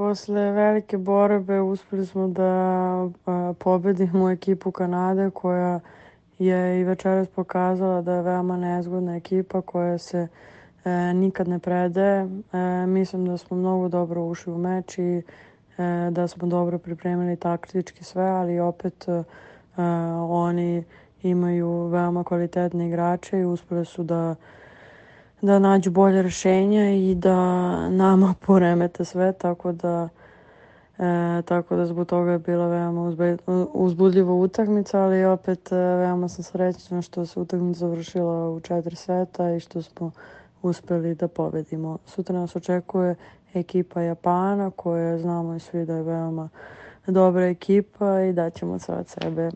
posle velike borbe uspeli smo da pobedimo ekipu Kanade koja je i večeras pokazala da je veoma nezgodna ekipa koja se nikad ne predaje. Mislim da smo mnogo dobro ušli u meč i da smo dobro pripremili taktički sve, ali opet oni imaju veoma kvalitetne igrače i uspeli su da nađu bolje rješenja i da nama poremete sve, tako da zbog toga je bila veoma uzbudljiva utakmica, ali opet veoma sam srećna što se utakmica završila u 4 seta i što smo uspeli da pobedimo. Sutra nas očekuje ekipa Japana koja znamo i svi da je veoma dobra ekipa i daćemo sve od sebe.